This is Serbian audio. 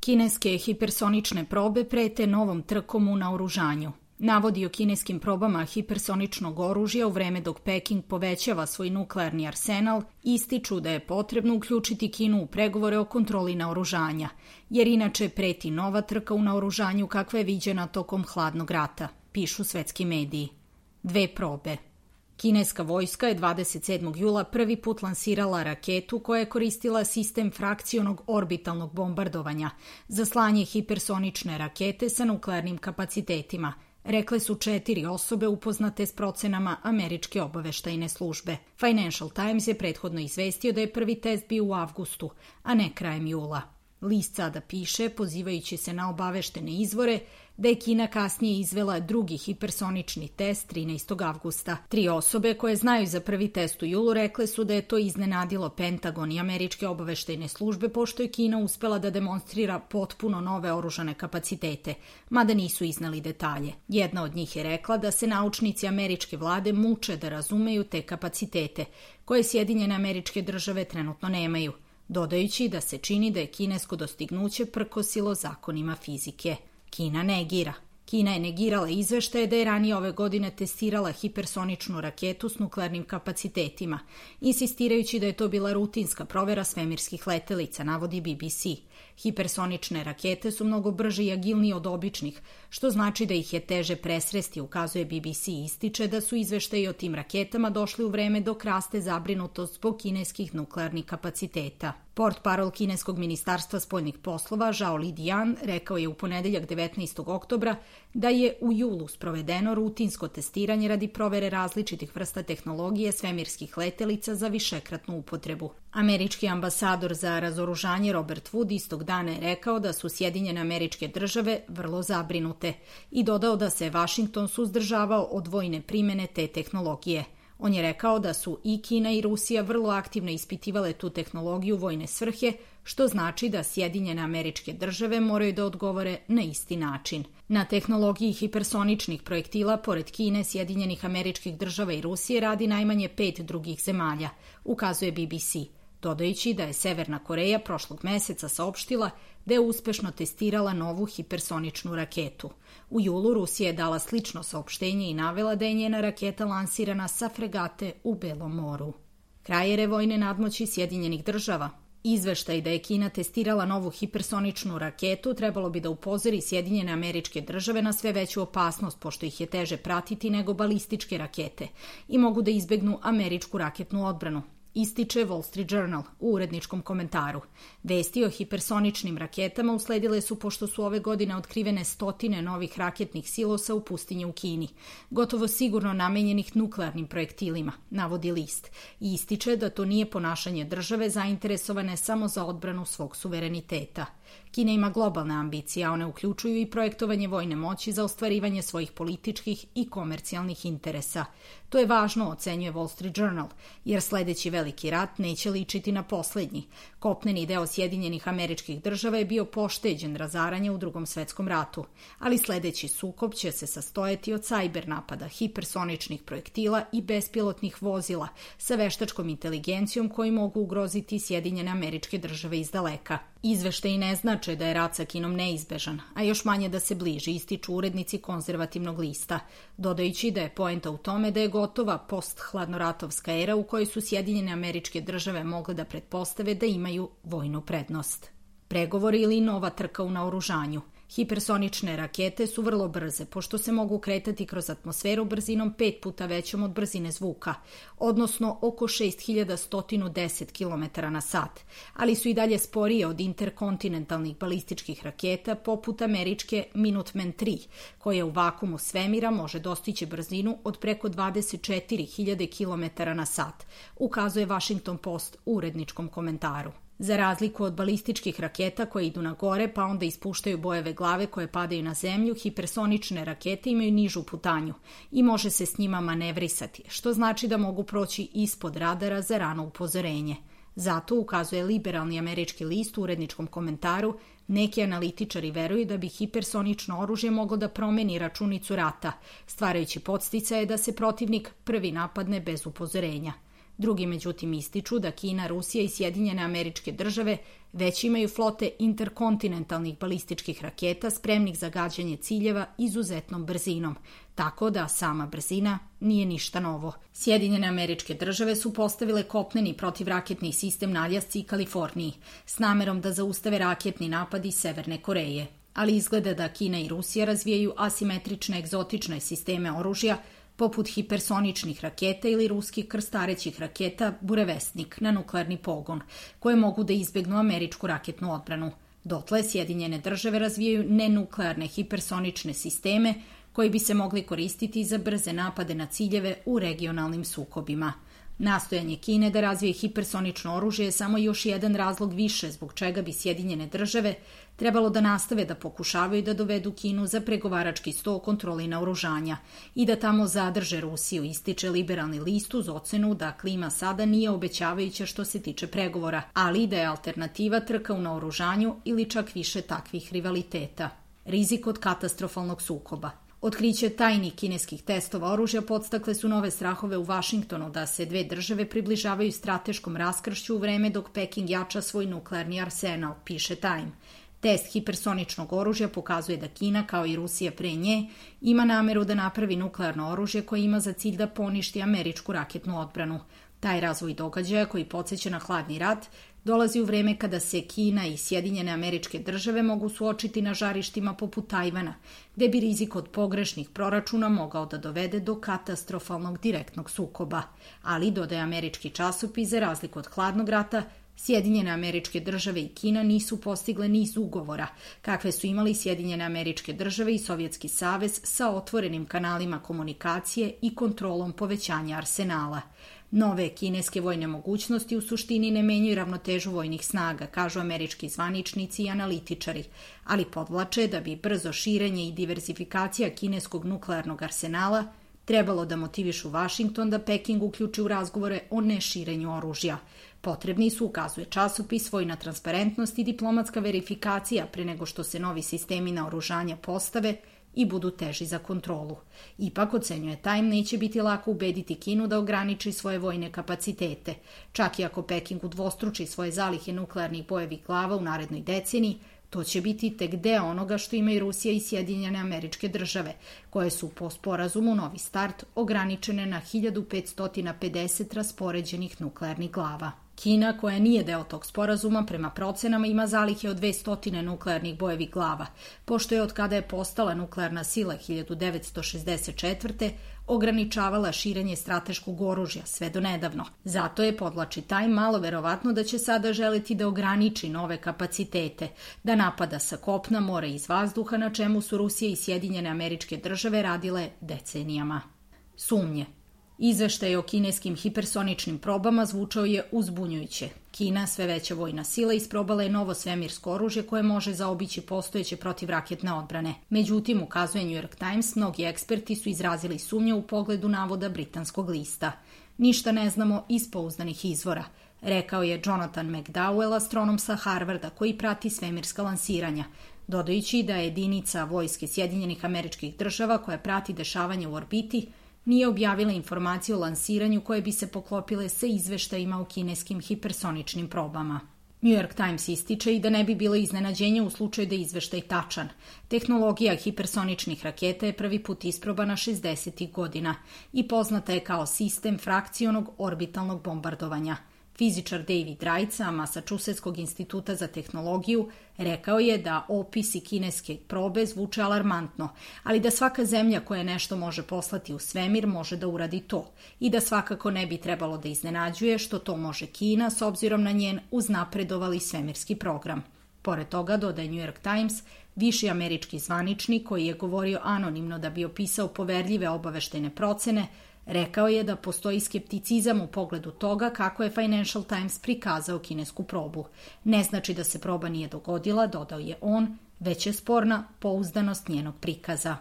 Kineske hipersonične probe prete novom trkom u naoružanju. Navodi o kineskim probama hipersoničnog oružja u vreme dok Peking povećava svoj nuklearni arsenal ističu da je potrebno uključiti Kinu u pregovore o kontroli naoružanja, jer inače preti nova trka u naoružanju kakva je viđena tokom hladnog rata, pišu svetski mediji. 2 probe. Kineska vojska je 27. jula prvi put lansirala raketu koja je koristila sistem frakcionog orbitalnog bombardovanja za slanje hipersonične rakete sa nuklearnim kapacitetima, rekle su 4 osobe upoznate s procenama američke obaveštajne službe. Financial Times je prethodno izvestio da je prvi test bio u avgustu, a ne krajem jula. List sada piše, pozivajući se na obaveštene izvore, da je Kina kasnije izvela drugi hipersonični test 13. avgusta. 3 osobe koje znaju za prvi test u julu rekle su da je to iznenadilo Pentagon i američke obaveštajne službe, pošto je Kina uspela da demonstrira potpuno nove oružane kapacitete, mada nisu iznali detalje. Jedna od njih je rekla da se naučnici američke vlade muče da razumeju te kapacitete, koje Sjedinjene Američke Države trenutno nemaju, dodajući da se čini da je kinesko dostignuće prkosilo zakonima fizike. Kina negira. Kina je negirala izveštaje da je ranije ove godine testirala hipersoničnu raketu s nuklearnim kapacitetima, insistirajući da je to bila rutinska provera svemirskih letelica, navodi BBC. Hipersonične rakete su mnogo brže i agilnije od običnih, što znači da ih je teže presresti, ukazuje BBC i ističe da su izveštaji o tim raketama došli u vreme dok raste zabrinutost zbog kineskih nuklearnih kapaciteta. Portparol kineskog ministarstva spoljnih poslova Zhao Lijian rekao je u ponedeljak 19. oktobra da je u julu sprovedeno rutinsko testiranje radi provere različitih vrsta tehnologije svemirskih letelica za višekratnu upotrebu. Američki ambasador za razoružanje Robert Wood istog dana je rekao da su Sjedinjene Američke Države vrlo zabrinute i dodao da se Vašington suzdržavao od vojne primene te tehnologije. On je rekao da su i Kina i Rusija vrlo aktivno ispitivale tu tehnologiju u vojne svrhe, što znači da Sjedinjene Američke Države moraju da odgovore na isti način. Na tehnologiji hipersoničnih projektila, pored Kine, Sjedinjenih Američkih Država i Rusije, radi najmanje 5 drugih zemalja, ukazuje BBC, dodajući da je Severna Koreja prošlog meseca saopštila da je uspešno testirala novu hipersoničnu raketu. U julu Rusija je dala slično saopštenje i navela da je njena raketa lansirana sa fregate u Belom moru. Kraj vojne nadmoći Sjedinjenih Država. Izveštaj da je Kina testirala novu hipersoničnu raketu trebalo bi da upozori Sjedinjene Američke Države na sve veću opasnost, pošto ih je teže pratiti nego balističke rakete i mogu da izbegnu američku raketnu odbranu, ističe Wall Street Journal u uredničkom komentaru. Vesti o hipersoničnim raketama usledile su pošto su ove godine otkrivene stotine novih raketnih silosa u pustinji u Kini, gotovo sigurno namenjenih nuklearnim projektilima, navodi list, i ističe da to nije ponašanje države zainteresovane samo za odbranu svog suvereniteta. Kina ima globalne ambicije, a one uključuju i projektovanje vojne moći za ostvarivanje svojih političkih i komercijalnih interesa. To je važno, ocenjuje Wall Street Journal, jer sledeći veliki rat neće ličiti na poslednji. Kopneni deo Sjedinjenih Američkih Država je bio pošteđen razaranja u Drugom svetskom ratu, ali sledeći sukob će se sastojati od sajber napada, hipersoničnih projektila i bespilotnih vozila sa veštačkom inteligencijom koji mogu ugroziti Sjedinjene Američke Države iz daleka. Izveštaji ne znače da je rat sa Kinom neizbežan, a još manje da se bliži, ističu urednici konzervativnog lista, dodajući da je poenta u tome da je gotova post-hladnoratovska era u kojoj su Sjedinjene Američke Države mogle da pretpostave da imaju vojnu prednost. Pregovori ili nova trka u naoružanju. Hipersonične rakete su vrlo brze, pošto se mogu kretati kroz atmosferu brzinom 5 puta većom od brzine zvuka, odnosno oko 6110 km na sat, ali su i dalje sporije od interkontinentalnih balističkih raketa poput američke Minuteman III, koja u vakumu svemira može dostići brzinu od preko 24.000 km na sat, ukazuje Washington Post u uredničkom komentaru. Za razliku od balističkih raketa koje idu na gore pa onda ispuštaju bojeve glave koje padaju na zemlju, hipersonične rakete imaju nižu putanju i može se s njima manevrisati, što znači da mogu proći ispod radara za rano upozorenje. Zato, ukazuje liberalni američki list u uredničkom komentaru, neki analitičari veruju da bi hipersonično oružje moglo da promeni računicu rata, stvarajući podsticaje da se protivnik prvi napadne bez upozorenja. Drugi međutim ističu da Kina, Rusija i Sjedinjene Američke Države već imaju flote interkontinentalnih balističkih raketa spremnih za gađanje ciljeva izuzetnom brzinom, tako da sama brzina nije ništa novo. Sjedinjene Američke Države su postavile kopneni protivraketni sistem na Aljasci i Kaliforniji s namerom da zaustave raketni napad iz Severne Koreje, ali izgleda da Kina i Rusija razvijaju asimetrične egzotične sisteme oružja poput hipersoničnih raketa ili ruskih krstarećih raketa Burevestnik na nuklearni pogon, koje mogu da izbegnu američku raketnu odbranu. Dotle Sjedinjene Države razvijaju nenuklearne hipersonične sisteme koji bi se mogli koristiti za brze napade na ciljeve u regionalnim sukobima. Nastojanje Kine da razvije hipersonično oružje je samo još jedan razlog više zbog čega bi Sjedinjene Države trebalo da nastave da pokušavaju da dovedu Kinu za pregovarački sto o kontroli naoružanja i da tamo zadrže Rusiju, ističe Liberalni list uz ocenu da klima sada nije obećavajuća što se tiče pregovora, ali da je alternativa trka u naoružanju ili čak više takvih rivaliteta. Rizik od katastrofalnog sukoba. Otkriće tajnih kineskih testova oružja podstakle su nove strahove u Vašingtonu da se dve države približavaju strateškom raskršću u vreme dok Peking jača svoj nuklearni arsenal, piše Time. Test hipersoničnog oružja pokazuje da Kina, kao i Rusija pre nje, ima nameru da napravi nuklearno oružje koje ima za cilj da poništi američku raketnu odbranu. Taj razvoj događaja, koji podsjeća na hladni rat, dolazi u vreme kada se Kina i Sjedinjene Američke Države mogu suočiti na žarištima poput Tajvana, gde bi rizik od pogrešnih proračuna mogao da dovede do katastrofalnog direktnog sukoba. Ali, dodaje američki časopis, za razliku od hladnog rata, Sjedinjene Američke Države i Kina nisu postigle niz ugovora, kakve su imali Sjedinjene Američke Države i Sovjetski savez sa otvorenim kanalima komunikacije i kontrolom povećanja arsenala. Nove kineske vojne mogućnosti u suštini ne menjaju ravnotežu vojnih snaga, kažu američki zvaničnici i analitičari, ali podvlače da bi brzo širenje i diversifikacija kineskog nuklearnog arsenala trebalo da motivišu Vašington da Peking uključi u razgovore o neširenju oružja. Potrebni su, ukazuje časopis, vojna transparentnost i diplomatska verifikacija pre nego što se novi sistemi naoružanja postave i budu teži za kontrolu. Ipak, ocenjuje Time, neće biti lako ubediti Kinu da ograniči svoje vojne kapacitete. Čak i ako Peking udvostruči svoje zalihe nuklearnih bojevih glava u narednoj deceniji, to će biti tek deo onoga što imaju Rusija i Sjedinjene Američke Države, koje su po sporazumu Novi start ograničene na 1550 raspoređenih nuklearnih glava. Kina, koja nije deo tog sporazuma, prema procenama ima zalihe od 200 nuklearnih bojevih glava, pošto je od kada je postala nuklearna sila 1964. ograničavala širenje strateškog oružja sve do nedavno. Zato je, podvlači Time, malo verovatno da će sada želiti da ograniči nove kapacitete, da napada sa kopna, mora i iz vazduha, na čemu su Rusija i Sjedinjene Američke Države radile decenijama. Sumnje. Izveštaj o kineskim hipersoničnim probama zvučao je uzbunjujuće. Kina, sve veća vojna sila, isprobala je novo svemirsko oružje koje može zaobići postojeće protivraketne odbrane. Međutim, ukazuje New York Times, mnogi eksperti su izrazili sumnje u pogledu navoda britanskog lista. Ništa ne znamo iz pouzdanih izvora, rekao je Jonathan McDowell, astronom sa Harvarda koji prati svemirska lansiranja, dodajući da je jedinica vojske Sjedinjenih Američkih Država koja prati dešavanje u orbiti nije objavila informacije o lansiranju koje bi se poklopile sa izveštajima o kineskim hipersoničnim probama. New York Times ističe i da ne bi bilo iznenađenja u slučaju da je izveštaj tačan. Tehnologija hipersoničnih raketa je prvi put isprobana 60. godina i poznata je kao sistem frakcionog orbitalnog bombardovanja. Fizičar David Wright sa Massachusettskog instituta za tehnologiju rekao je da opisi kineske probe zvuče alarmantno, ali da svaka zemlja koja nešto može poslati u svemir može da uradi to i da svakako ne bi trebalo da iznenađuje što to može Kina s obzirom na njen uznapredovali svemirski program. Pored toga, dodaje New York Times, viši američki zvaničnik koji je govorio anonimno da bi opisao poverljive obaveštajne procene, rekao je da postoji skepticizam u pogledu toga kako je Financial Times prikazao kinesku probu. Ne znači da se proba nije dogodila, dodao je on, već je sporna pouzdanost njenog prikaza.